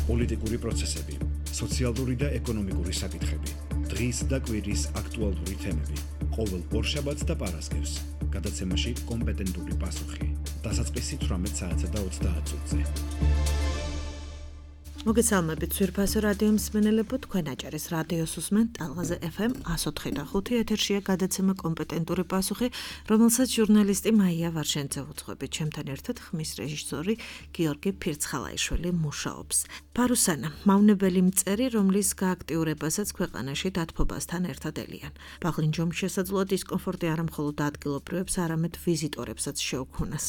პოლიტიკური პროცესები, სოციალური და ეკონომიკური საკითხები, დღის და კვირის აქტუალური თემები, ყოველ ორშაბათს და პარასკევს, გადაცემაში კომპეტენტური პასუხი, დასაწყისი 18 საათსა და 30 წუთზე. მოგესალმებით ძვირფასო რადიო მსმენელებო, თქვენ აჭარის რადიოს უსმენთ ტალღაზე FM 104.5 ეთერშია გადაცემა კომპეტენტური პასუხი, რომელსაც ჟურნალისტი მაია ვარშენძე უძღვებით. ჩემთან ერთად ხმის რეჟისორი გიორგი ფირცხალაიშვილი მუშაობს. ფარუსანა, მავნებელი მწერი, რომლის გააქტიურებასაც ქვეყანაში დათბობასთან ერთად ელიან. ბაღლინჯომ შესაძლოა დისკომფორტი არა მხოლოდ ადგილობრივებს, არამედ ვიზიტორებსაც შეუქმნას.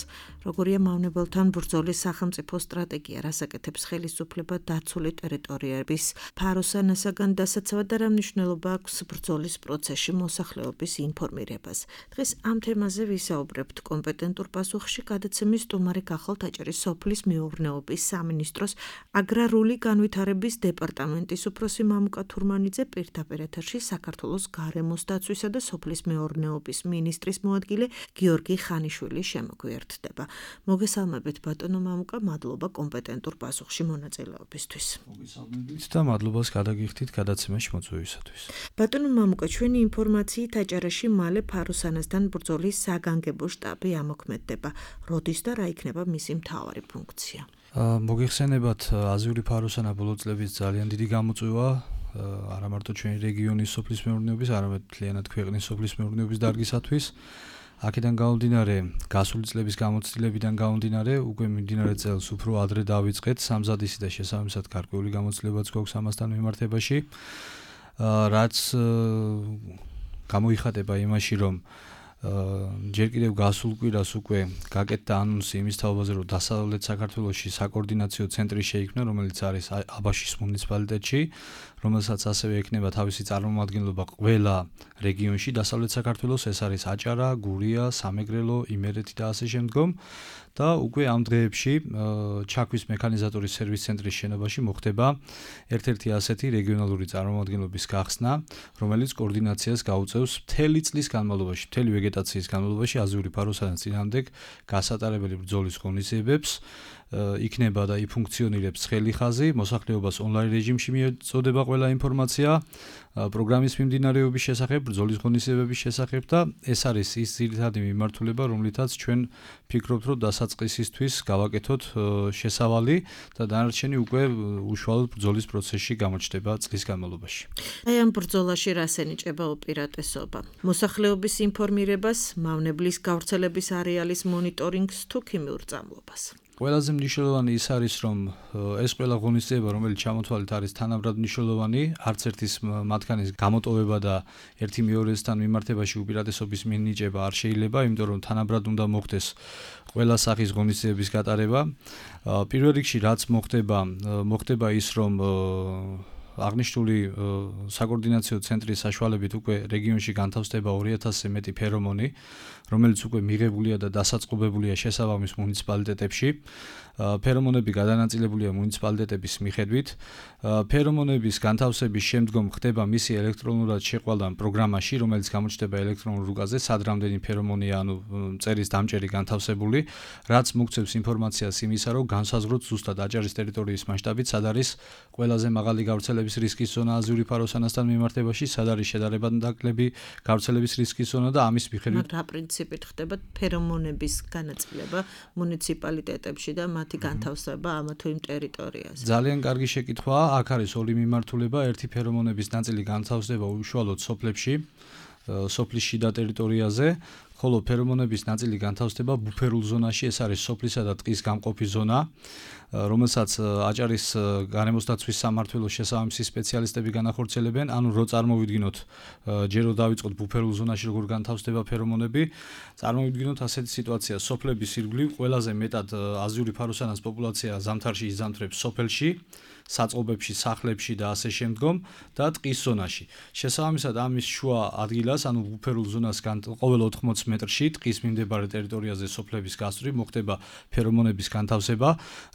როგორია მავნებელთან ბრძოლის სახელმწიფო სტრატეგია, რას აკეთებს ხელისუფლება დაცული ტერიტორიების ფარუსანასაგან დასაცავად და რა მნიშვნელობა აქვს ბრძოლის პროცესში მოსახლეობის ინფორმირებას. დღეს ამ თემაზე ვისაუბრებთ კომპეტენტურ პასუხში. გადაცემის სტუმარი გახლავთ აჭარის სოფლის მეურნეობის სამინისტროს აგრარული განვითარების დეპარტამენტის უფროსი მამუკა თურმანიძე, პირდაპირ ეთერში საქართველოს გარემოს დაცვისა და სოფლის მეურნეობის მინისტრის მოადგილე გიორგი ხანიშვილი შემოგვიერთდება. მოგესალმებით ბატონო მამუკა, მადლობა კომპეტენტურ პასუხში მონაწილეობისთვის. მოგესალმებით და მადლობას გადაგიხდით გადაცემაში მოწვევისათვის. ბატონო მამუკა, ჩვენი ინფორმაციით აჭარაში მალე ფარუსანასთან ბრძოლის საგანგებო შტაბი ამოქმედდება. როდის და რა იქნება მისი მთავარი ფუნქცია? მოგეხსენებათ, აზიური ფარუსანა ბოლო წლების ძალიან დიდი გამოწვევა არა მარტო ჩვენი რეგიონის სოფლის მეურნეობის, არამედ მთლიანად ქვეყნის სოფლის მეურნეობის დარგისათვის. აქედან გამომდინარე, გასული წლების გამოცდილებიდან გამომდინარე, უკვე მიმდინარე წელს უფრო ადრე დავიწყეთ სამზადისი და შესაბამისად გარკვეული გამოცდილებაც გვაქვს ამასთან მიმართებაში, რაც გამოიხატება იმაში, რომ ჯერ კიდევ გასულ კვირას უკვე გაკეთდა ანონსი იმის თაობაზე, რომ დასავლეთ საქართველოში საკოორდინაციო ცენტრი შეიქმნა, რომელიც არის აბაშის მუნიციპალიტეტში, რომელსაც ასევე ექნება თავისი წარმომადგენლობა ყველა რეგიონში დასავლეთ საქართველოს, ეს არის აჭარა, გურია, სამეგრელო, იმერეთი და ასე შემდგომ. და უკვე ამ დღეებში ჩაქვის მექანიზატორის სერვის ცენტრის შენობაში მოხდება ერთ-ერთი ასეთი რეგიონალური წარმომადგენლობის გახსნა, რომელიც კოორდინაციას გაუწევს მთელი წლის განმავლობაში, მთელი ვეგეტაციის განმავლობაში აზიური ფარუსანას წინააღმდეგ გასატარებელი ბრძოლის ღონისძიებებს. იქნება და იფუნქციონირებს ცხელი ხაზი, მოსახლეობას ონლაინ რეჟიმში მიეწოდება ყველა ინფორმაცია პროგრამის მიმდინარეობის შესახებ, ბრძოლის ღონისძიებების შესახებ და ეს არის ის ძირითადი მიმართულება, რომლითაც ჩვენ ფიქრობთ, რომ დასაწყისისთვის გავაკეთოთ შესავალი და დანარჩენი უკვე უშუალოდ ბრძოლის პროცესში გამოჩნდება წლის განმავლობაში. აი ამ ბრძოლაში რას ენიჭება უპირატესობა? მოსახლეობის ინფორმირებას, მავნებლის გავრცელების არეალის მონიტორინგს თუ ქიმიურ წამლობას? ყველაზე მნიშვნელოვანი ის არის, რომ ეს ყველა ღონისძიება, რომელიც ჩამოთვალეთ, არის თანაბრად მნიშვნელოვანი, არც ერთის მათგანის გამოტოვება და ერთი მეორესთან მიმართებაში უპირატესობის მინიჭება არ შეიძლება, იმიტომ რომ თანაბრად უნდა მოხდეს ყველა სახის ღონისძიების გატარება. პირველ რიგში რაც მოხდება ის, რომ აღნიშნული საკოორდინაციო ცენტრის საშუალებით უკვე რეგიონში განთავსდება 2000-ზე მეტი ფერომონი, რომელიც უკვე მიღებულია და დასაწყობებულია შესაბამის მუნიციპალიტეტებში. ფერომონები გადანაწილებულია მუნიციპალიტეტების მიხედვით. ფერომონების განთავსების შემდგომ ხდება მისი ელექტრონულად შეყვალა პროგრამაში, რომელიც გამოჩნდება ელექტრონულ რუკაზე, სად რამდენი ფერომონია, ანუ მწერის დამჭერი განთავსებული, რაც მოგცემს ინფორმაციას იმისა, რომ განსაზღვროთ ზუსტად აჭარის ტერიტორიის მასშტაბით, სად არის ყველაზე მაღალი გავრცელების რისკის ზონა აზიური ფარუსანასთან მიმართებაში, სად არის შედარებადნაკლები გავრცელების რისკის ზონა და ამის მიხედვით რა პრინციპით ხდება ფერომონების განაწილება მუნიციპალიტეტებში და მათი განთავსება ამა თუ იმ ტერიტორიაზე? ძალიან კარგი შეკითხვაა. აქ არის ორი მიმართულება. ერთი ფერომონების ნაწილი განთავსდება უშუალოდ სოფლებში, სოფლის შიდა ტერიტორიაზე, ხოლო ფერომონების ნაწილი განთავსდება ბუფერულ ზონაში, ეს არის სოფლისა და ტყის გამყოფი ზონა, რომელსაც აჭარის გარემოს დაცვის სამმართველოს შესაბამისი სპეციალისტები განახორციელებენ. ანუ რო წარმოვიდგინოთ, ჯერ რო დავიწყოთ ბუფერულ ზონაში როგორ განთავსდება ფერომონები, წარმოვიდგინოთ ასეთი სიტუაცია, სოფლების ირგვლივ ყველაზე მეტად აზიური ფარუსანას პოპულაცია ზამთარში იზამთრებს სოფელში, საწყობებში, სახლებში და ასე შემდგომ და ტყის ზონაში. შესაბამისად ამის შუა ადგილას, ანუ ბუფერულ ზონას ყოველ 80 მეტრში ტყის მიმდებარე ტერიტორიაზე სოფლების გასწვრივ მოხდება ფერომონების განთავსება,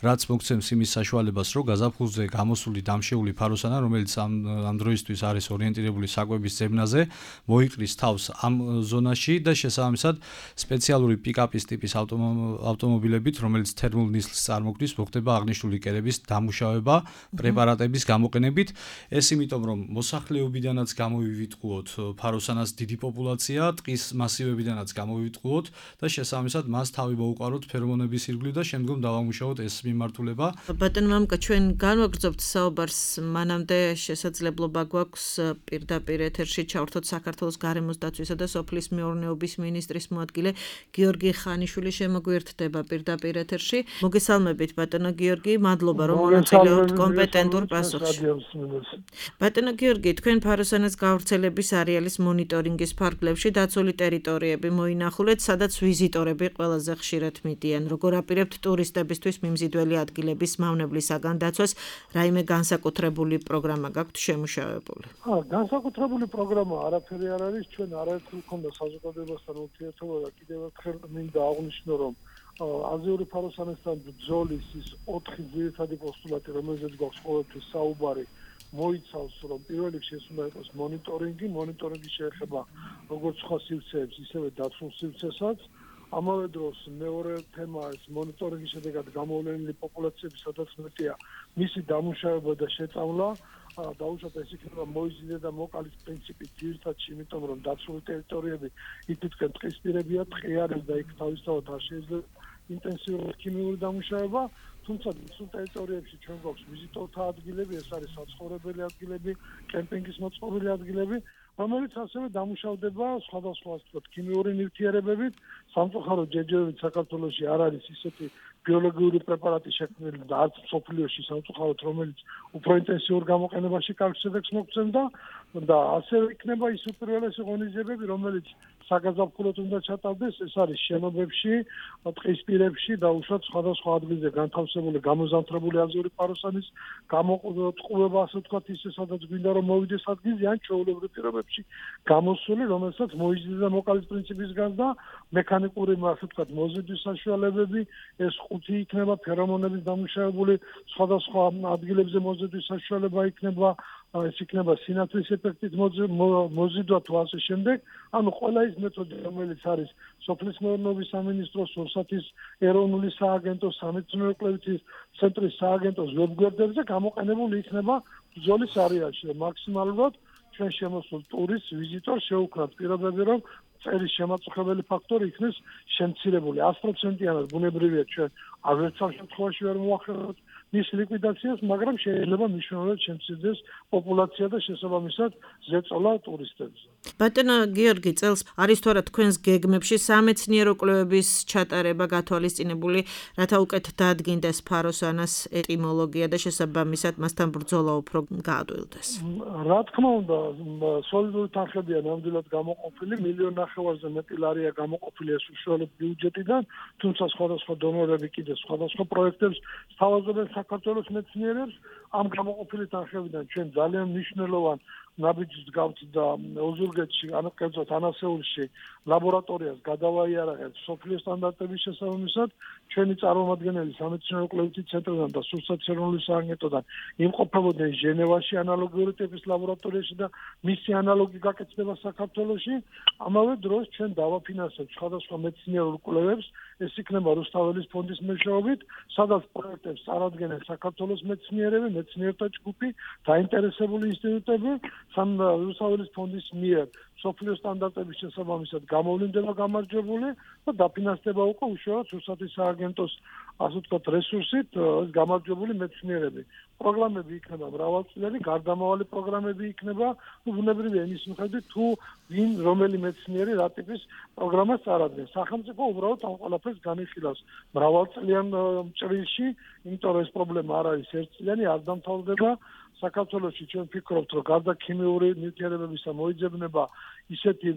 რაც მოგცემს იმის საშუალებას, რომ გაზაფხულზე გამოსული დამშეული ფაროსანა, რომელიც ამ დროისთვის არის ორიენტირებული საკვების ზებნაზე, მოიყრის თავს ამ ზონაში და შესაბამისად სპეციალური პიკაპის ტიპის ავტომობილებით, რომელიც თერმულ ნისლს წარმოქმნის, მოხდება აღნიშნული კერების დამუშავება პრეპარატების გამოყენებით. ეს იმიტომ, რომ მოსახლეობიდანაც გამოვივიწყოთ ფაროსანას დიდი პოპულაცია, ტყის მასივებიდანაც გამოვივიწყოთ და შესაბამისად მას თავი მოუყაროთ ფერომონების ირგვლივ და შემდგომ დავამუშავოთ ეს მიმართულება. ბატონო მამკა, ჩვენ განვაგრძობთ საუბარს, მანამდე შესაძლებლობა გვაქვს პირდაპირ ეთერში ჩავერთოთ საქართველოს გარემოს დაცვისა და სოფლის მეურნეობის მინისტრის მოადგილე გიორგი ხანიშვილი შემოგვიერთდება პირდაპირ ეთერში. მოგესალმებით ბატონო გიორგი, მადლობა რომ მონაწილეობთ კომპეტენტურ პასუხში. ბატონო გიორგი, თქვენ ფაროსანას გავრცელების არეალის მონიტორინგის ფარგლებში დაცული ტერიტორიები მოინახულეთ, სადაც ვიზიტორები ყველაზე ხშირად მიდიან. როგორ აპირებთ ტურისტებისთვის მიმზიდველი ადგილების მავნებლისაგან დაცვას, რაიმე განსაკუთრებული პროგრამა გაქვთ შემუშავებული? განსაკუთრებული პროგრამა არაფერი არ არის, ჩვენ არაერთხელ გქონდა საზოგადოებასთან ურთიერთობა და კიდევ ერთხელ მინდა აღვნიშნო, რომ აზიური ფაროსანასთან ბრძოლის ის 4 ძირითადი პოსტულატი, რომელზეც გვაქვს ყოველთვის საუბარი, მოიცავს, რომ პირველ რიგში ეს უნდა იყოს მონიტორინგი შეეხება როგორც სხვა სივრცეებს, ისევე დაცულ სივრცესაც. ამავე დროს მეორე თემა ეს მონიტორინგის შედეგად გამოვლენილი პოპულაციების სადაც მეტია მისი დამუშავება და შეწავლა. დაუშვათ ეს იქნება მოიზიდე და მოკალის პრინციპით ძირითადში, იმიტომ რომ დაცული ტერიტორიები იქითკენ ტყისპირებია, ტყე არის და იქ თავისთავად არ შეიძლება ინტენსიური ქიმიური დამუშავება. თუმცა დაცულ ტერიტორიებში ჩვენ გვაქვს ვიზიტორთა ადგილები, ეს არის საცხოვრებელი ადგილები, კემპინგის მოწყობილი ადგილები, რომელიც ასევე დამუშავდება სხვადასხვა ქიმიური ნივთიერებებით. სამწუხაროდ ჯერჯერობით საქართველოში არ არის ისეთი ბიოლოგიური პრეპარატი შექმნილი და არც მსოფლიოში სამწუხაროდ, რომელიც უფრო ინტენსიურ გამოყენებაში კარგ შედეგს მოგცემდა და ასევე იქნება ის უპირველესი ღონისძიებები, რომელიც საგაზაფხულოდ უნდა ჩატარდეს, ეს არის შენობებში, ტყისპირებში და უშუალოდ სხვადასხვა ადგილზე განთავსებული გამოზამთრებული აზიური ფაროსანის გამოყუება, ასე ვთქვათ, ისე სადაც გვინდა რომ მოვიდეს ადგილზე, ან ჩვეულებრივ პირობებში გამოსული, რომელსაც მოიზიდე და მოკალის პრინციპის გარდა მექანიკური, ასე ვთქვათ, მოზიდვის საშუალებები, ეს 5 იქნება ფერომონების დამუშავებული, სხვადასხვა ადგილებზე მოზიდვის საშუალება იქნება, ეს იქნება სინათლის ეფექტით მოზიდვა თუ ასე შემდეგ. ანუ ყველა ის მეთოდი, რომელიც არის სოფლის მეურნეობის სამინისტროს, რუსეთის ეროვნული სააგენტოს, სამეცნიერო კვლევითი ცენტრის სააგენტოს ვებგვერდებზე გამოყენებული იქნება ბრძოლის არეალში. მაქსიმალურად ჩვენ შემოსულ ტურისტს, ვიზიტორს შევუქმნათ პირობები, რომ წერის შემაწუხებელი ფაქტორი იქნეს შემცირებული. 100%-იანად ბუნებრივია ჩვენ აღერთ შემთხვევაში ვერ მოახერხებთ მის ლიკვიდაციას, მაგრამ შეიძლება მნიშვნელოვნად შემცირდეს პოპულაცია და შესაბამისად ზეწოლა ტურისტებზე. ბატონო გიორგი, წელს არის თუ არა თქვენს გეგმებში სამეცნიერო კვლევების ჩატარება გათვალისწინებული, რათა უკეთ დაადგინდეს ფაროსანას ეტიმოლოგია და შესაბამისად მასთან ბრძოლა უფრო გაადვილდეს? რა თქმა უნდა, სოლიდური თანხებია ნამდვილად გამოყოფილი, 1.5 მილიონზე მეტი ლარია გამოყოფილი ეს უშუალოდ ბიუჯეტიდან, თუმცა სხვადასხვა დონორები კიდე სხვადასხვა პროექტებს სთავაზობენ საქართველოს მეცნიერებს. ამ გამოყოფილი თანხებიდან ჩვენ ძალიან მნიშვნელოვან ნაბიჯს გავთ და ოზურგეთში, ანუ კერძოდ ანასეულში ლაბორატორიას გადავაიარაღეთ სოფლიო სტანდარტების შესაბამისად. ჩვენი წარმომადგენელი სამეცნიერო კვლევითი ცენტრიდან და რუსეთის ეროვნული სააგენტოდან იმყოფებოდნენ ჟენევაში ანალოგიური ტიპის ლაბორატორიაში და მისი ანალოგი გაკეთდება საქართველოში. ამავე დროს ჩვენ დავაფინანსებთ სხვადასხვა მეცნიერულ კვლევებს, ეს იქნება რუსთაველის ფონდის მეშვეობით, სადაც პროექტებს წარადგენენ საქართველოს მეცნიერები, მეცნიერთა ჯგუფი, დაინტერესებული ინსტიტუტები, რუსთაველის ფონდის მიერ სოფლიო სტანდარტების შესაბამისად გამოვლინდება გამარჯვებული და დაფინანსდება უკვე უშუალოდ რუსეთის სააგენტოს, ასე ვთქვათ, რესურსით გამარჯვებული მეცნიერები. პროგრამები იქნება მრავალწლიანი, გარდამავალი პროგრამები იქნება, ბუნებრივია იმის მიხედვით, თუ ვინ რომელი მეცნიერი რა ტიპის პროგრამას წარადგენს. სახელმწიფო უბრალოდ ამ ყველაფერს განიხილავს მრავალწლიან ჭრილში, იმიტომ რომ ეს პრობლემა არ არის ერთწლიანი, არ დამთავრდება. საქართველოში ჩვენ ვფიქრობთ, რომ გარდა ქიმიური ნივთიერებებისა მოიძებნება ისეთი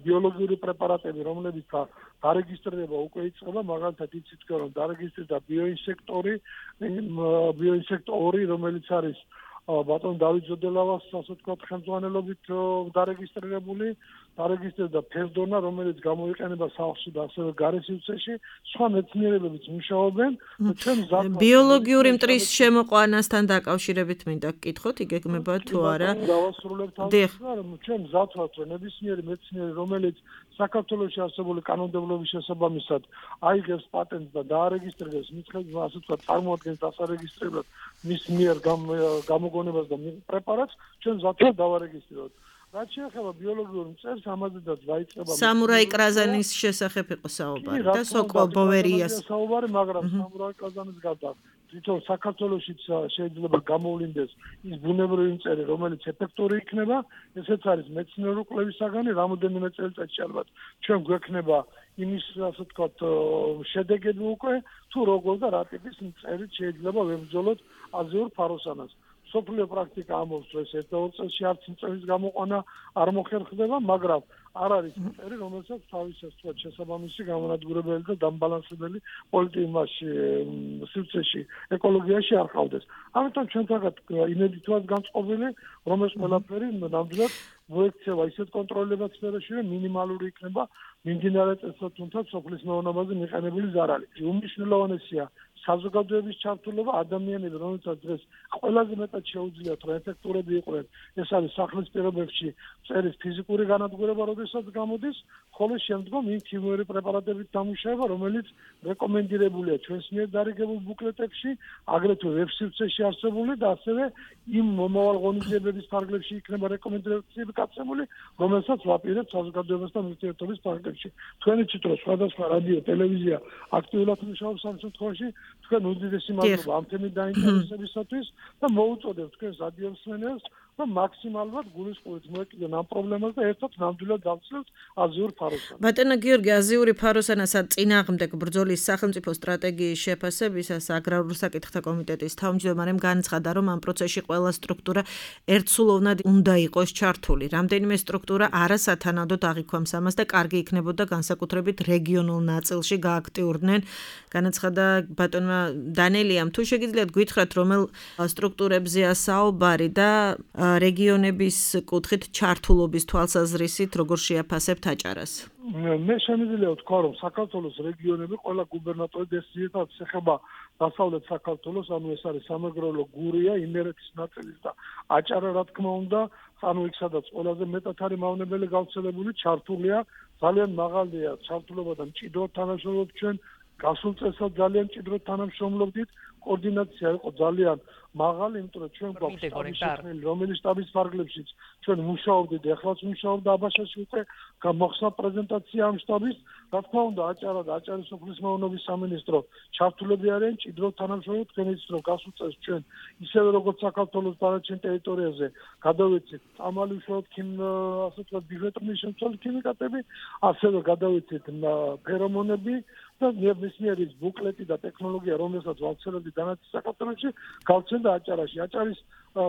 ბიოლოგიური პრეპარატები, რომლებიც დარეგისტრირება უკვე იწყება, მაგალითად იცით, რომ დარეგისტრირდა ბიოინსექტორი, რომელიც არის ბატონ დავით ზოდელავას ასე ვთქვათ ხელმძღვანელობით დარეგისტრირებული დარეგისტრირდა ფერდონა, რომელიც გამოიყენება სახლში და ასევე გარესივრცეში, სხვა მეცნიერებებიც მუშაობენ და ჩვენ ბიოლოგიური მტრის შემოყვანასთან დაკავშირებით მინდა გკითხოთ, იგეგმება თუ არა? დავასრულებთ ამას, რომ ჩვენ მზად ვართ, რომ ნებისმიერი მეცნიერი, რომელიც საქართველოში არსებული კანონმდებლობის შესაბამისად აიღებს პატენტს და დაარეგისტრირებს მის ხელში, ასე ვთქვათ, წარმოადგენს დასარეგისტრირებლად მის მიერ გამოგონებას და პრეპარატს, ჩვენ მზად ვართ დავარეგისტრიროთ. რაც შეეხება ბიოლოგიურ მწერს, ამაზედაც დაიწყება სამურაი კრაზანის შესახებ იყო საუბარი და სოკო ბოვერიას საუბარი, მაგრამ სამურაი კრაზანის გარდა თვითონ საქართველოშიც შეიძლება გამოვლინდეს ის ბუნებრივი მწერი, რომელიც ეფექტური იქნება, ესეც არის მეცნიერული კვლევის საგანი, რამოდენიმე წელიწადში ალბათ ჩვენ გვექნება იმის, ასე ვთქვათ, შედეგები უკვე, თუ როგორ და რა ტიპის მწერით შეიძლება ვებრძოლოთ აზიურ ფაროსანას. სოფლიო პრაქტიკა ამბობს, რომ ეს ერთ-ორ წელში არც მწერის გამოყვანა არ მოხერხდება, მაგრამ არ არის მწერი, რომელსაც თავის შესაბამისი გამონადგურებელი და დამბალანსებელი პოლიტიკაში, სივრცეში, ეკოლოგიაში არ ყავდეს. ამიტომ ჩვენ თაღად იმედით ვართ განწყობილი, რომ ეს ყველაფერი ნამდვილად მოექცევა ისეთ კონტროლებად სფეროში, რომ მინიმალური იქნება მიმდინარე წესად თუნდაც სოფლის მეურნეობაზე მიყენებული ზარალი. უმნიშვნელოვანესია საზოგადოების ჩართულობა, ადამიანები, რომელსაც დღეს ყველაზე მეტად შეუძლიათ, რომ ეფექტურები იყვნენ, ეს არის სახლის პირობებში მწერის ფიზიკური განადგურება, როდესაც გამოდის, ხოლო შემდგომ იმ ქიმიური პრეპარატებით დამუშავება, რომელიც რეკომენდირებულია ჩვენს მიერ დარიგებულ ბუკლეტებში, აგრეთვე ვებსაიტში არსებული და ასევე იმ მომავალ ღონისძიებების ფარგლებში იქნება რეკომენდაციები გაცემული, რომელსაც ვაპირებთ საზოგადოებასთან ურთიერთობის ფარგლებში. თქვენი თვითონ სხვადასხვა რადიო, ტელევიზია აქტიურად მუშაობს ამ შემთხვევაში. თქვენ უდიდესი მადლობა ამ თემით დაინტერესებისათვის და მოუწოდებთ თქვენს რადიომსმენელს, რომ მაქსიმალურად გულისხმობით მოეკიდონ ამ პრობლემას და ერთად ნამდვილად დავცლებთ აზიურ ფაროსანას. ბატონო გიორგი, აზიური ფაროსანასა წინააღმდეგ ბრძოლის სახელმწიფო სტრატეგიის შეფასებისას აგრარულ საკითხთა კომიტეტის თავმჯდომარემ განაცხადა, რომ ამ პროცესში ყველა სტრუქტურა ერთსულოვნად უნდა იყოს ჩართული. რამდენიმე სტრუქტურა არასათანადოდ აღიქვამს ამას და კარგი იქნებოდა განსაკუთრებით რეგიონულ ნაწილში გააქტიურდნენ. განაცხადა ბატონმა დანელიამ, თუ შეგიძლიათ გითხრათ, რომელ სტრუქტურებზეა საუბარი და რეგიონების კუთხით ჩართულობის თვალსაზრისით როგორ შეაფასებთ აჭარას? მე შემიძლია ვთქვა, რომ საქართველოს რეგიონები ყველა გუბერნატორი ძირითადად ეხება დასავლეთ საქართველოს, ანუ ეს არის სამეგრელო, გურია, იმერეთის ნაწილი და აჭარა, რა თქმა უნდა, ანუ იქ სადაც ყველაზე მეტად არის მავნებელი გავრცელებული, ჩართულია, ძალიან მაღალია ჩართულობა და მჭიდროდ თანამშრომლობთ ჩვენ, გასულ წელსაც ძალიან მჭიდროდ თანამშრომლობდით, კოორდინაცია იყო ძალიან მაღალი, იმიტომ რომ ჩვენ გვაქვს შტაბი, რომელიც შტაბის ფარგლებშიც ჩვენ მუშაობდით, ეხლაც მუშაობდა აბაშაში უკვე მოხსნა პრეზენტაცია ამ შტაბის, რა თქმა უნდა, აჭარა და აჭარის სოფლის მეურნეობის სამინისტრო ჩართულები არიან, მჭიდროდ თანამშრომლობთ, თქვენ იცით, რომ გასულ წელს ჩვენ ისევე როგორც საქართველოს დანარჩენ ტერიტორიაზე გადავეცით წამალი უშუალოდ ასე ვთქვათ, ბიჟეტრის შემცველი ქიმიკატები, ასევე გადავეცით ფერომონები და ნებისმიერი ბუკლეტი და ტექნოლოგია, რომელსაც ვავრცელებდი დანარჩენ საქართველოში, გავცემდა აჭარაში. აჭარის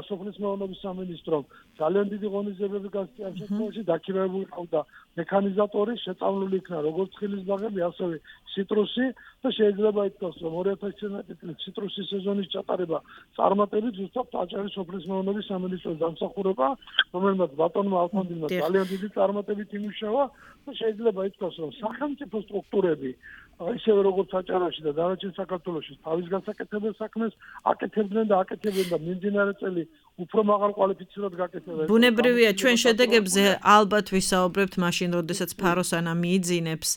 სოფლის მეურნეობის სამინისტრომ ძალიან დიდი ღონისძიებები გასწია ამ შემთხვევაში, დაქირავებული ყავდა მექანიზატორი, შეწავლილი იქნა როგორც ცხილის ბაღები, ასევე ციტრუსი და შეიძლება ითქვას, რომ 2019 წლის ციტრუსის სეზონის ჩატარება წარმატებით ზუსტად აჭარის სოფლის მეურნეობის სამინისტროს დამსახურება, რომელმაც ბატონმა ალფონდინმა ძალიან დიდი წარმატებით იმუშავა და შეიძლება ითქვას, რომ სახელმწიფო სტრუქტურები ისევე როგორც აჭარაში და დანარჩენ საქართველოში თავის გასაკეთებელ საქმეს აკეთებდნენ და აკეთებენ და მიმდინარე წელი უფრო მაღალ კვალიფიცირებად გაკეთებენ. ბუნებრივია, ჩვენ შედეგებზე ალბათ ვისაუბრებთ მაშინ, როდესაც ფაროსანა მიიძინებს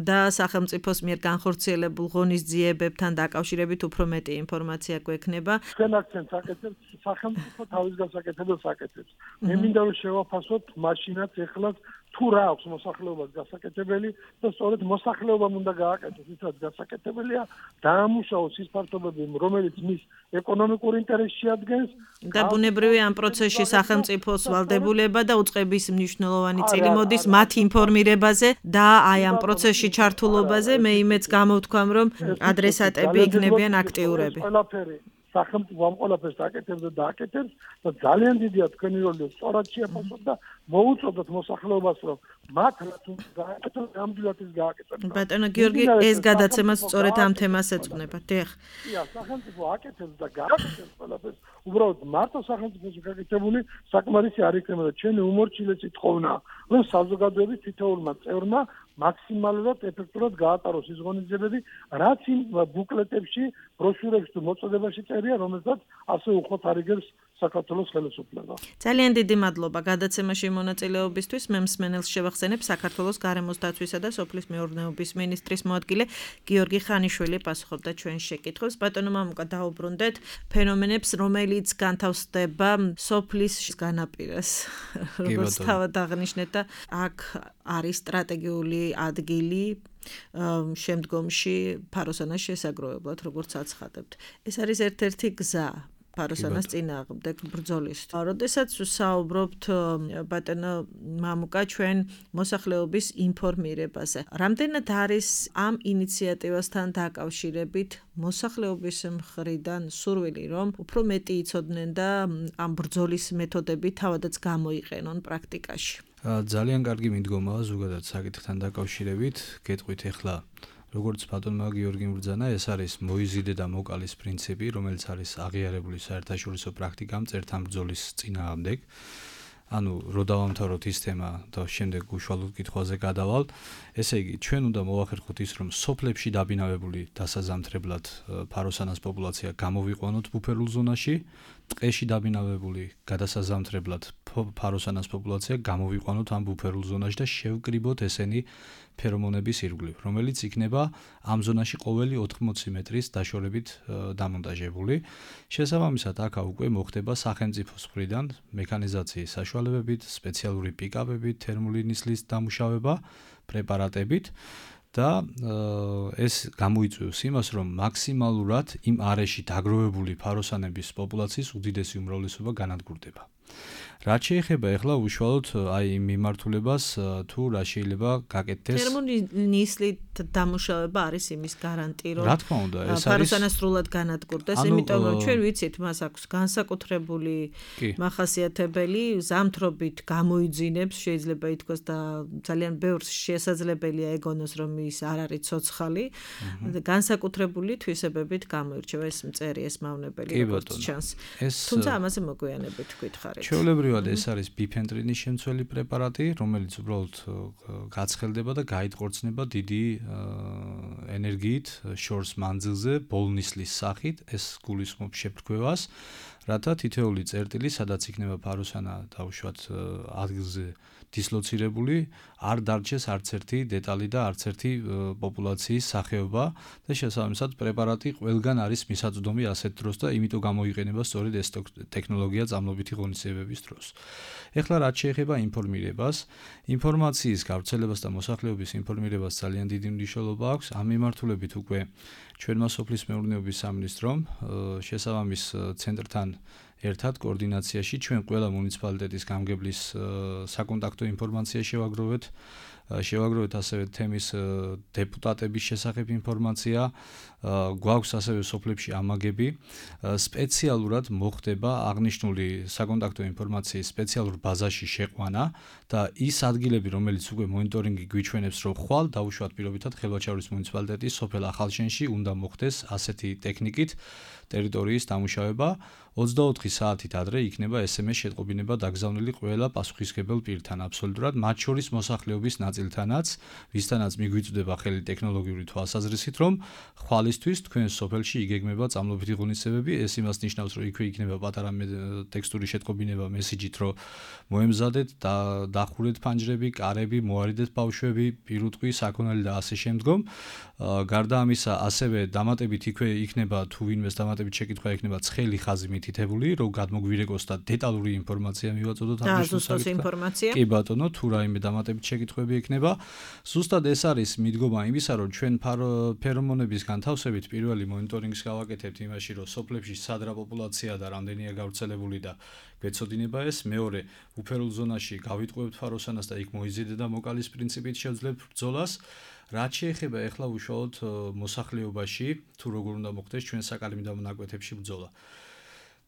და სახელმწიფოს მიერ განხორციელებულ ღონისძიებებთან დაკავშირებით უფრო მეტი ინფორმაცია გვექნება. ჩვენ აქცენტს აკეთებთ სახელმწიფო თავის გასაკეთებელ საკეთებს. მე მინდა რომ შევაფასოთ მაშინაც ეხლაც თუ რა აქვს მოსახლეობას გასაკეთებელი და სწორედ მოსახლეობამ უნდა გააკეთოს ისაც გასაკეთებელია დაამუშავოს ის ფაქტობები, რომელიც მის ეკონომიკურ ინტერესს შეადგენს და ბუნებრივია ამ პროცესში სახელმწიფოს ვალდებულება და უწყების მნიშვნელოვანი წილი მოდის მათ ინფორმირებაზე და აი ამ პროცესში ჩართულობაზე მე იმეც გამოვთქვამ, რომ ადრესატები იქნებიან აქტიურები. სახელმწიფო ამ ყველაფერს აკეთებს და აკეთებს და ძალიან დიდია თქვენი როლი სწორად შეაფასოთ და მოუწოდოთ მოსახლეობას, რომ მათ რაც უნდა გააკეთოს, ნამდვილად ის გააკეთოს. ბატონო გიორგი, ეს გადაცემაც სწორედ ამ თემას ეძღვნება. დიახ. სახელმწიფო აკეთებს და გააკეთებს ყველაფერს, უბრალოდ მარტო სახელმწიფოს გაკეთებული საკმარისი არ იქნება და ჩვენი უმორჩილესი თხოვნა, რომ საზოგადოების თითოეულმა წევრმა მაქსიმალურად ეფექტურად გაატაროს ის ღონისძიებები, რაც იმ ბუკლეტებში, ბროშურებში თუ მოწოდებაში წერია, რომელსაც ასე უხოთ არიგებს საქართველოს ხელისუფლება. ძალიან დიდი მადლობა გადაცემაში მონაწილეობისთვის. მე მსმენელს შევახსენებ საქართველოს გარემოს დაცვისა და სოფლის მეურნეობის მინისტრის მოადგილე გიორგი ხანიშვილი პასუხობდა ჩვენ შეკითხვებს. ბატონო მამუკა, დაუბრუნდეთ ფენომენებს, რომელიც განთავსდება სოფლის განაპირას. როგორც თავად აღნიშნეთ და აქ არის სტრატეგიული ადგილი შემდგომში ფაროსანას შესაგროვებლად, როგორც აცხადებთ. ეს არის ერთ-ერთი გზა ფაროსანას წინააღმდეგ ბრძოლის. როდესაც საუბრობთ ბატონო მამუკა ჩვენ მოსახლეობის ინფორმირებაზე. რამდენად არის ამ ინიციატივასთან დაკავშირებით მოსახლეობის მხრიდან სურვილი, რომ უფრო მეტი იცოდნენ და ამ ბრძოლის მეთოდები თავადაც გამოიყენონ პრაქტიკაში? ძალიან კარგი მიდგომაა ზოგადად საკითხთან დაკავშირებით. გეტყვით ახლა როგორც ბატონმა გიორგიმ ბრძანა, ეს არის მოიზიდე და მოკალის პრინციპი, რომელიც არის აღიარებული საერთაშორისო პრაქტიკამ წერთან ბრძოლის წინააღმდეგ. ანუ რო დავამთავროთ ის თემა და შემდეგ უშუალოდ კითხვაზე გადავალ, ესე იგი, ჩვენ უნდა მოვახერხოთ ის, რომ სოფლებში დაბინავებული დასაზამთრებლად ფაროსანას პოპულაცია გამოვიყვანოთ ბუფერულ ზონაში, ტყეში დაბინავებული გადასაზამთრებლად ფაროსანას პოპულაცია გამოვიყვანოთ ამ ბუფერულ ზონაში და შევკრიბოთ ესენი ფერომონების ირგვლივ, რომელიც იქნება ამ ზონაში ყოველი 80 მეტრის დაშორებით დამონტაჟებული. შესაბამისად, აქ უკვე მოხდება სახელმწიფოს მხრიდან მექანიზაციის საშუალებებით, სპეციალური პიკაპებით, თერმული ნისლის დამუშავება, პრეპარატებით და ეს გამოიწვევს იმას, რომ მაქსიმალურად იმ არეში დაგროვებული ფაროსანების პოპულაციის უდიდესი უმრავლესობა განადგურდება. რაც შეეხება ახლა უშუალოდ აი მიმართულებას თუ რა შეიძლება გაკეთდეს თერმული ნისლით დამუშავება არის იმის გარანტი რომ რა თქმა უნდა ეს არის ფაროსანა სრულად განადგურდეს იმიტომ რომ ჩვენ ვიცით მას აქვს განსაკუთრებული მახასიათებელი ზამთრობით გამოიძინებს შეიძლება ითქვას და ძალიან ბევრს შესაძლებელია ეგონოს რომ ის არ არის ცოცხალი განსაკუთრებული თვისებებით გამოირჩევა ეს მწერი ეს მავნებელი როგორც ჩანს თუმცა ამაზე მოგვიანებით ვკითხარით ჩვეულებრივად ეს არის ბიფენტრინის შემცველი პრეპარატი, რომელიც უბრალოდ გაცხელდება და გაიტყორცნება დიდი ენერგიით შორს მანძილზე ბოლნისლის სახით, ეს გულისხმობს შეფრქვევას, რათა თითოეული წერტილი, სადაც იქნება ფაროსანა დაუშვათ ადგილზე დისლოცირებული, არ დარჩეს არც ერთი დეტალი და არც ერთი პოპულაციის სახეობა და შესაბამისად პრეპარატი ყველგან არის მისაწვდომი ასეთ დროს და იმიტომ გამოიყენება სწორედ ეს ტექნოლოგია წამლობითი ღონისძიებების დროს. ეხლა რაც შეეხება ინფორმირებას, ინფორმაციის გავრცელებას და მოსახლეობის ინფორმირებას ძალიან დიდი მნიშვნელობა აქვს. ამ მიმართულებით უკვე ჩვენმა სოფლის მეურნეობის სამინისტრომ შესაბამის ცენტრთან ერთად კოორდინაციაში ჩვენ ყველა მუნიციპალიტეტის გამგებლის საკონტაქტო ინფორმაცია შევაგროვეთ ასევე თემის დეპუტატების შესახებ ინფორმაცია, გვაქვს ასევე სოფლებში ამაგები, სპეციალურად მოხდება აღნიშნული საკონტაქტო ინფორმაციის სპეციალურ ბაზაში შეყვანა და ის ადგილები, რომელიც უკვე მონიტორინგი გვიჩვენებს, რომ ხვალ დაუშვათ პირობითად ხელვაჩაურის მუნიციპალიტეტის სოფელ ახალშენში უნდა მოხდეს ასეთი ტექნიკით ტერიტორიის დამუშავება 24 საათით ადრე იქნება SMS შეტყობინება დაგზავნილი ყველა პასუხისმგებელ პირთან აბსოლუტურად მათ შორის მოსახლეობის ნაწილთანაც, ვისთანაც მიგვიწვდება ხელი ტექნოლოგიური თვალსაზრისით, რომ ხვალისთვის თქვენ სოფელში იგეგმება წამლობითი ღონისძიებები, ეს იმას ნიშნავს, რომ იქვე იქნება პატარა ტექსტური შეტყობინება მესიჯით, რომ მოემზადეთ, დახურეთ ფანჯრები, კარები, მოარიდეთ ბავშვები, პირუტყვი, საქონელი და ასე შემდგომ. გარდა ამისა, ასევე დამატებით იქვე იქნება თუ ვინმეს დამატებით შეკითხვა იქნება ცხელი ხაზი მითითებული, რომ გადმოგვირეკოს და დეტალური ინფორმაცია მივაწოდოთ ამ ინფორმაცია. კი ბატონო, თუ რაიმე დამატებით შეკითხვები იქნება. ზუსტად ეს არის მიდგომა იმისა, რომ ჩვენ ფერომონების განთავსებით პირველი მონიტორინგს გავაკეთებთ იმაში, რომ სოფლებში სად რა პოპულაცია და რამდენია გავრცელებული და გვეცოდინება ეს. მეორე, უფერულ ზონაში გავიტყვევთ ფაროსანას და იქ მოიზიდე და მოკალის პრინციპით შევძლებთ ბრძოლას. რაც შეეხება ახლა უშუალოდ მოსახლეობაში, თუ როგორ უნდა მოხდეს ჩვენ საკალმიდამო ნაკვეთებში ბრძოლა.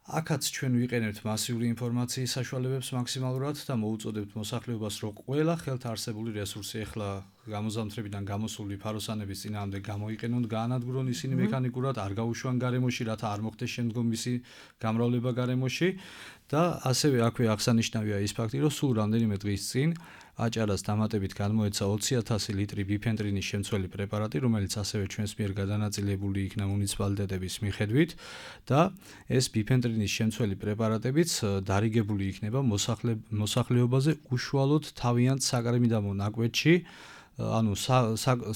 აქაც ჩვენ ვიყენებთ მასიური ინფორმაციის საშუალებებს მაქსიმალურად და მოუწოდებთ მოსახლეობას, რომ ყველა ხელთ არსებული რესურსი ახლა გამოზამთრებიდან გამოსული ფაროსანების წინააღმდეგ გამოიყენონ, გაანადგურონ ისინი მექანიკურად, არ გაუშვან გარემოში, რათა არ მოხდეს შემდგომ მისი გამრავლება გარემოში და ასევე აქვე აღსანიშნავია ის ფაქტი, რომ სულ რამდენიმე დღის წინ აჭარას დამატებით განმოეცა 20,000 ლიტრი ბიფენტრინის შემცველი პრეპარატი, რომელიც ასევე ჩვენს მიერ გადანაწილებული იქნა მუნიციპალიტეტების მიხედვით და ეს ბიფენტრინის შემცველი პრეპარატებიც დარიგებული იქნება მოსახლეობაზე უშუალოდ თავიანთ საკრემიდამო ნაკვეთში, ანუ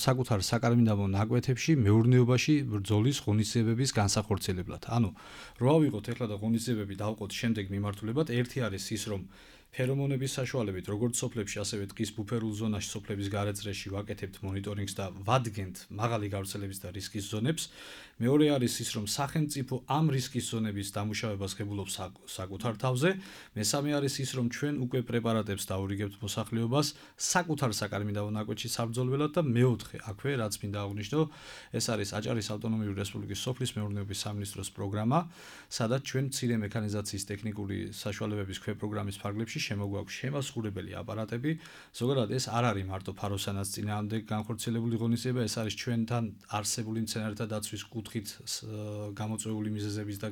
საკუთარ საკრემიდამო ნაკვეთებში მეურნეობაში ბრძოლის ღონისძიებების განსახორციელებლად. ანუ რო ავიღოთ ეხლა და ღონისძიებები დავყოთ შემდეგ მიმართულებად, ერთი არის ის, რომ ფერომონების საშუალებით, როგორც სოფლებში, ასევე ტყის ბუფერულ ზონაში, სოფლების გარეწრეში ვაკეთებთ მონიტორინგს და ვადგენთ მაღალი გავრცელების და რისკის ზონებს. მეორე არის ის, რომ სახელმწიფო ამ რისკის ზონების დამუშავებას ღებულობს საკუთარ თავზე. მესამე არის ის, რომ ჩვენ უკვე პრეპარატებს დაურიგებთ მოსახლეობას საკუთარ საკრემიდამო ნაკვეთში საბრძოლველად და მეოთხე, აქვე რაც მინდა აღვნიშნო, ეს არის აჭარის ავტონომიური რესპუბლიკის სოფლის მეურნეობის სამინისტროს პროგრამა, სადაც ჩვენ მცირე მექანიზაციის ტექნიკური საშუალებების ქვეპროგრამის ფარგლებში შემოგვაქვს შემასხურებელი აპარატები. ზოგადად ეს არ არის მარტო ფაროსანას წინააღმდეგ განხორციელებული ღონისძიება, ეს არის ჩვენთან არსებული მცენარეთა დაცვის კუთხით გამოწვეული მიზეზების და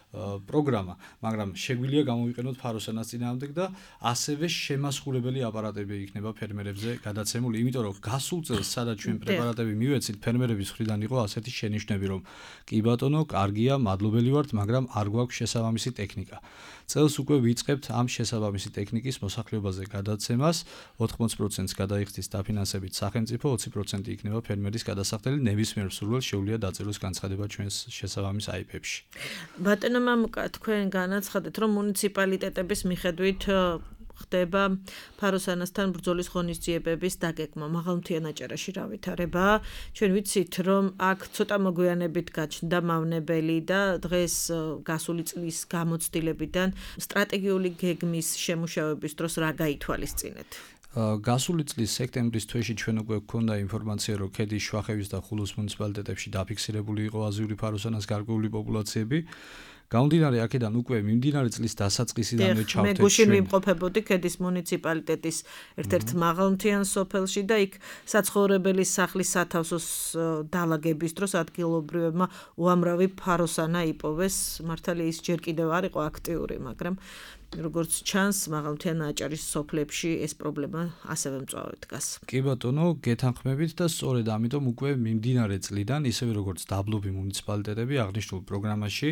პროგრამა, მაგრამ შეგვიძლია გამოვიყენოთ ფაროსანას წინააღმდეგ და ასევე შემასხურებელი აპარატები იქნება ფერმერებზე გადაცემული, იმიტომ რომ გასულ წელს სადაც ჩვენ პრეპარატები მივეცით, ფერმერების მხრიდან იყო ასეთი შენიშვნები, რომ კი ბატონო, კარგია, მადლობელი ვართ, მაგრამ არ გვაქვს შესაბამისი ტექნიკა. წელს უკვე ვიწყებთ ამ შესაბამისი ტექნიკის მოსახლეობაზე გადაცემას, 80%-ს გადაიხდის დაფინანსებით სახელმწიფო, 20% იქნება ფერმერის გადასახდელი, ნებისმიერ მსურველს შეუძლია დაწეროს განცხადება ჩვენს შესაბამის IP-ებში. ბატონო მამუკა, თქვენ განაცხადეთ, რომ მუნიციპალიტეტების მიხედვით ხდება ფაროსანასთან ბრძოლის ღონისძიებების დაგეგმა. მაღალმთიან აჭარაში რა ვითარებაა? ჩვენ ვიცით, რომ აქ ცოტა მოგვიანებით გაჩნდა მავნებელი და დღეს გასული წლის გამოცდილებიდან სტრატეგიული გეგმის შემუშავების დროს რა გაითვალისწინეთ? გასული წლის სექტემბრის თვეში ჩვენ უკვე გვქონდა ინფორმაცია, რომ ქედის, შვახევის და ხულოს მუნიციპალიტეტებში დაფიქსირებული იყო აზიური ფაროსანას გარკვეული პოპულაციები. გამომდინარე აქედან უკვე მიმდინარე წლის დასაწყისიდანვე ჩავთვალეთ. მე გუშინ ვიმყოფებოდი ქედის მუნიციპალიტეტის ერთ-ერთ მაღალმთიან სოფელში და იქ საცხოვრებელი სახლის სათავსოს დალაგების დროს ადგილობრივებმა უამრავი ფაროსანა იპოვეს. მართალია ის ჯერ კიდევ არ იყო აქტიური, მაგრამ როგორც ჩანს, მაღალმთიან აჭარის სოფლებში ეს პრობლემა ასევე მწვავედ დგას. კი ბატონო, გეთანხმებით და სწორედ ამიტომ უკვე მიმდინარე წლიდან, ისევე როგორც დაბლობი მუნიციპალიტეტები აღნიშნულ პროგრამაში,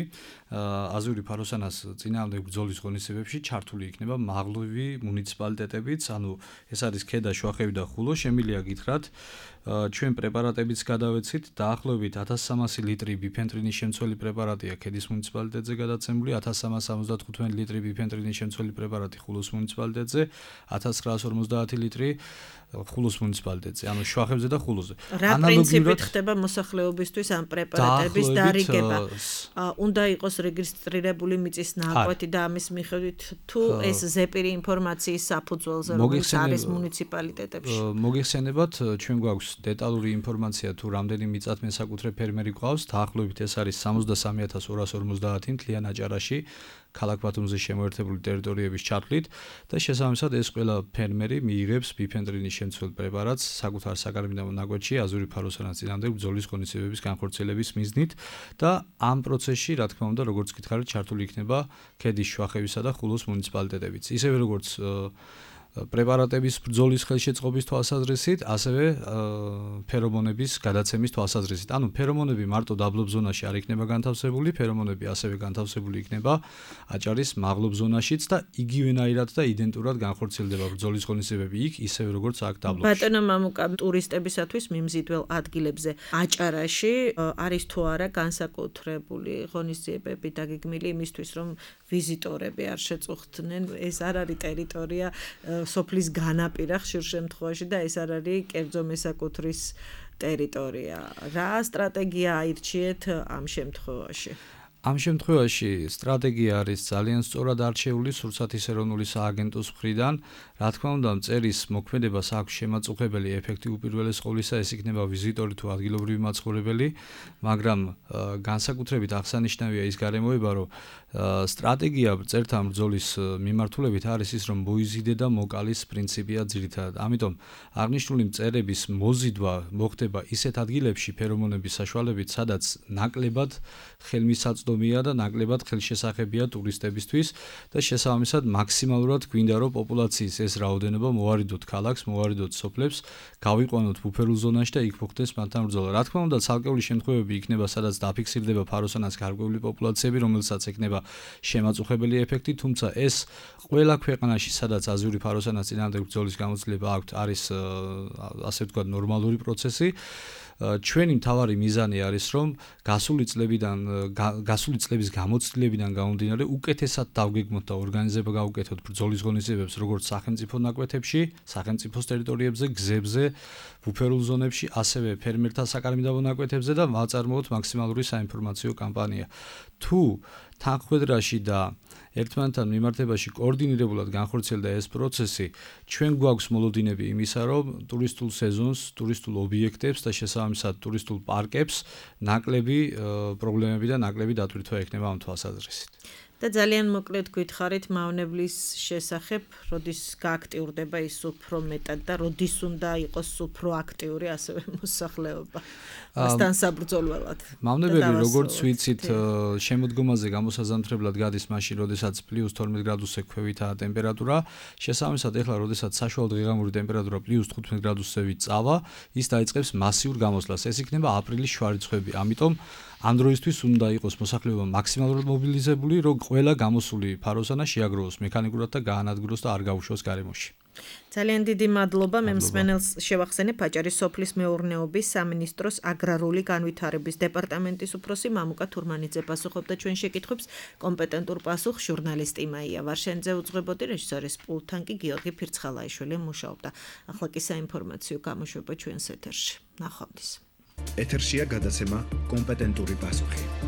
აზიური ფაროსანას წინააღმდეგ ბრძოლის ღონისძიებებში ჩართული იქნება მაღლობი მუნიციპალიტეტებიც, ანუ ეს არის ქედა, შვახევი და ხულო. შემიძლია გითხრათ, ჩვენ პრეპარატებიც გადავეცით, დაახლოებით 1300 ლიტრი ბიფენტრინის შემცველი პრეპარატია ქედის მუნიციპალიტეტზე გადაცემული, 1375 ლიტრი ბიფენტრინის შემცველი პრეპარატი ხულოს მუნიციპალიტეტზე, 1950 ლიტრი ხულოს მუნიციპალიტეტზე, ანუ შვახევზე და ხულოზე. რა პრინციპით ხდება მოსახლეობისთვის ამ პრეპარატების დარიგება? უნდა იყოს რეგისტრირებული მიწის ნაკვეთი და ამის მიხედვით თუ ეს ზეპირი ინფორმაციის საფუძველზე რომელიც არის მუნიციპალიტეტებში. მოგიხსენებათ, ჩვენ გვაქვს დეტალური ინფორმაცია თუ რამდენი მიწათმესაკუთრე ფერმერი გვყავს, დაახლოებით ეს არის 63,250 მთლიან აჭარაში. ქალაქ ბათუმზე შემოერთებული ტერიტორიების ჩათვლით და შესაბამისად ეს ყველა ფერმერი მიიღებს ბიფენტრინის შემცველ პრეპარატს საკუთარ საკრემიდამო ნაკვეთში აზური ფაროსანას წინააღმდეგ ბრძოლის ღონისძიებების განხორციელების მიზნით და ამ პროცესში, რა თქმა უნდა, როგორც გითხარით, ჩართული იქნება ქედის, შვახევისა და ხულოს მუნიციპალიტეტებიც. ისევე როგორც პრეპარატების ბრძოლის ხელშეწყობის თვალსაზრისით, ასევე ფერომონების გადაცემის თვალსაზრისით. ანუ ფერომონები მარტო დაბლობ ზონაში არ იქნება განთავსებული, ფერომონები ასევე განთავსებული იქნება აჭარის მაღლობ ზონაშიც და იგივენაირად და იდენტურად განხორციელდება ბრძოლის ღონისძიებები იქ, ისევე როგორც აქ დაბლობში. ბატონო მამუკა, ტურისტებისათვის მიმზიდველ ადგილებზე აჭარაში არის თუ არა განსაკუთრებული ღონისძიებები დაგეგმილი იმისთვის, რომ ვიზიტორები არ შეწუხდნენ, ეს არ არის ტერიტორია სოფლის განაპირა ხშირ შემთხვევაში და ეს არ არის კერძო მესაკუთრის ტერიტორია. რა სტრატეგია აირჩიეთ ამ შემთხვევაში? ამ შემთხვევაში სტრატეგია არის ძალიან სწორად არჩეული სურსათის ეროვნული სააგენტოს მხრიდან. რა თქმა უნდა, მწერის მოქმედებას აქვს შემაწუხებელი ეფექტი უპირველეს ყოვლისა, ეს იქნება ვიზიტორი თუ ადგილობრივი მაცხოვრებელი, მაგრამ განსაკუთრებით აღსანიშნავია ის გარემოება, რომ სტრატეგია წერთა ბრძოლის მიმართულებით არის ის, რომ მოიზიდე და მოკალის პრინციპია ძირითადად. ამიტომ აღნიშნული მწერების მოზიდვა მოხდება ისეთ ადგილებში ფერომონების საშუალებით, სადაც ნაკლებად ხელმისაწვდომია და ნაკლებად ხელშესახებია ტურისტებისთვის და შესაბამისად მაქსიმალურად გვინდა რომ პოპულაციის ეს რაოდენობა მოვარიდოთ ქალაქს, მოვარიდოთ სოფლებს, გავიყვანოთ ბუფერულ ზონაში და იქ მოხდეს მათთან ბრძოლა. რა თქმა უნდა, ცალკეული შემთხვევები იქნება, სადაც დაფიქსირდება ფაროსანას გარკვეული პოპულაციები, რომელსაც ექნება შემაწუხებელი ეფექტი, თუმცა ეს ყველა ქვეყანაში, სადაც აზიური ფაროსანას წინააღმდეგ ბრძოლის გამოცდილება აქვს, არის ასე ვთქვათ ნორმალური პროცესი. ჩვენი მთავარი მიზანი არის, რომ გასული წლების გამოცდილებიდან გამომდინარე უკეთესად დავგეგმოთ და ორგანიზება გავუკეთოთ ბრძოლის ღონისძიებებს როგორც სახელმწიფო ნაკვეთებში, სახელმწიფოს ტერიტორიებზე, გზებზე, ბუფერულ ზონებში, ასევე ფერმერთა საკარმიდამო ნაკვეთებზე და ვაწარმოოთ მაქსიმალური საინფორმაციო კამპანია. თუ თანხმდრაში და ერთმანეთთან მიმართებაში კოორდინირებულად განხორციელდა ეს პროცესი, ჩვენ გვაქვს მოლოდინები იმისა, რომ ტურისტულ სეზონს, ტურისტულ ობიექტებს და შესაბამისად ტურისტულ პარკებს ნაკლები პრობლემები და ნაკლები დატვირთვა ექნება ამ თვალსაზრისით. და ძალიან მოკლედ გითხარით მავნებლის შესახებ, როდის გააქტიურდება ის უფრო მეტად და როდის უნდა იყოს უფრო აქტიური ასევე მოსახლეობა მასთან საბრძოლველად. მავნებელი როგორც ვიცით, შემოდგომაზე გამოსაზამთრებლად გადის მაშინ, როდესაც +12 გრადუსზე ქვევითაა ტემპერატურა. შესაბამისად, ეხლა როდესაც საშუალო დღე-ღამური ტემპერატურა +15 გრადუსზე ვიწავა, ის დაიწყებს მასიურ გამოსვლას. ეს იქნება აპრილის შვარიცხვები. ამიტომ ამ დროისთვის უნდა იყოს მოსახლეობა მაქსიმალურად მობილიზებული, რომ ყველა გამოსული ფაროსანა შეაგროვოს მექანიკურად და გაანადგუროს და არ გაუშვოს გარემოში. ძალიან დიდი მადლობა. მე მსმენელს შევახსენებ, აჭარის სოფლის მეურნეობის სამინისტროს აგრარული განვითარების დეპარტამენტის უფროსი მამუკა თურმანიძე პასუხობდა ჩვენ შეკითხვებს. კომპეტენტურ პასუხს ჟურნალისტი მაია ვარშენძე უძღვებოდი, რეჟისორის პულტთან კი გიორგი ფირცხალაიშვილი მუშაობდა. ახლა კი საინფორმაციო გამოშვება ჩვენს ეთერში. ნახვამდის. ეთერშია გადაცემა კომპეტენტური პასუხი.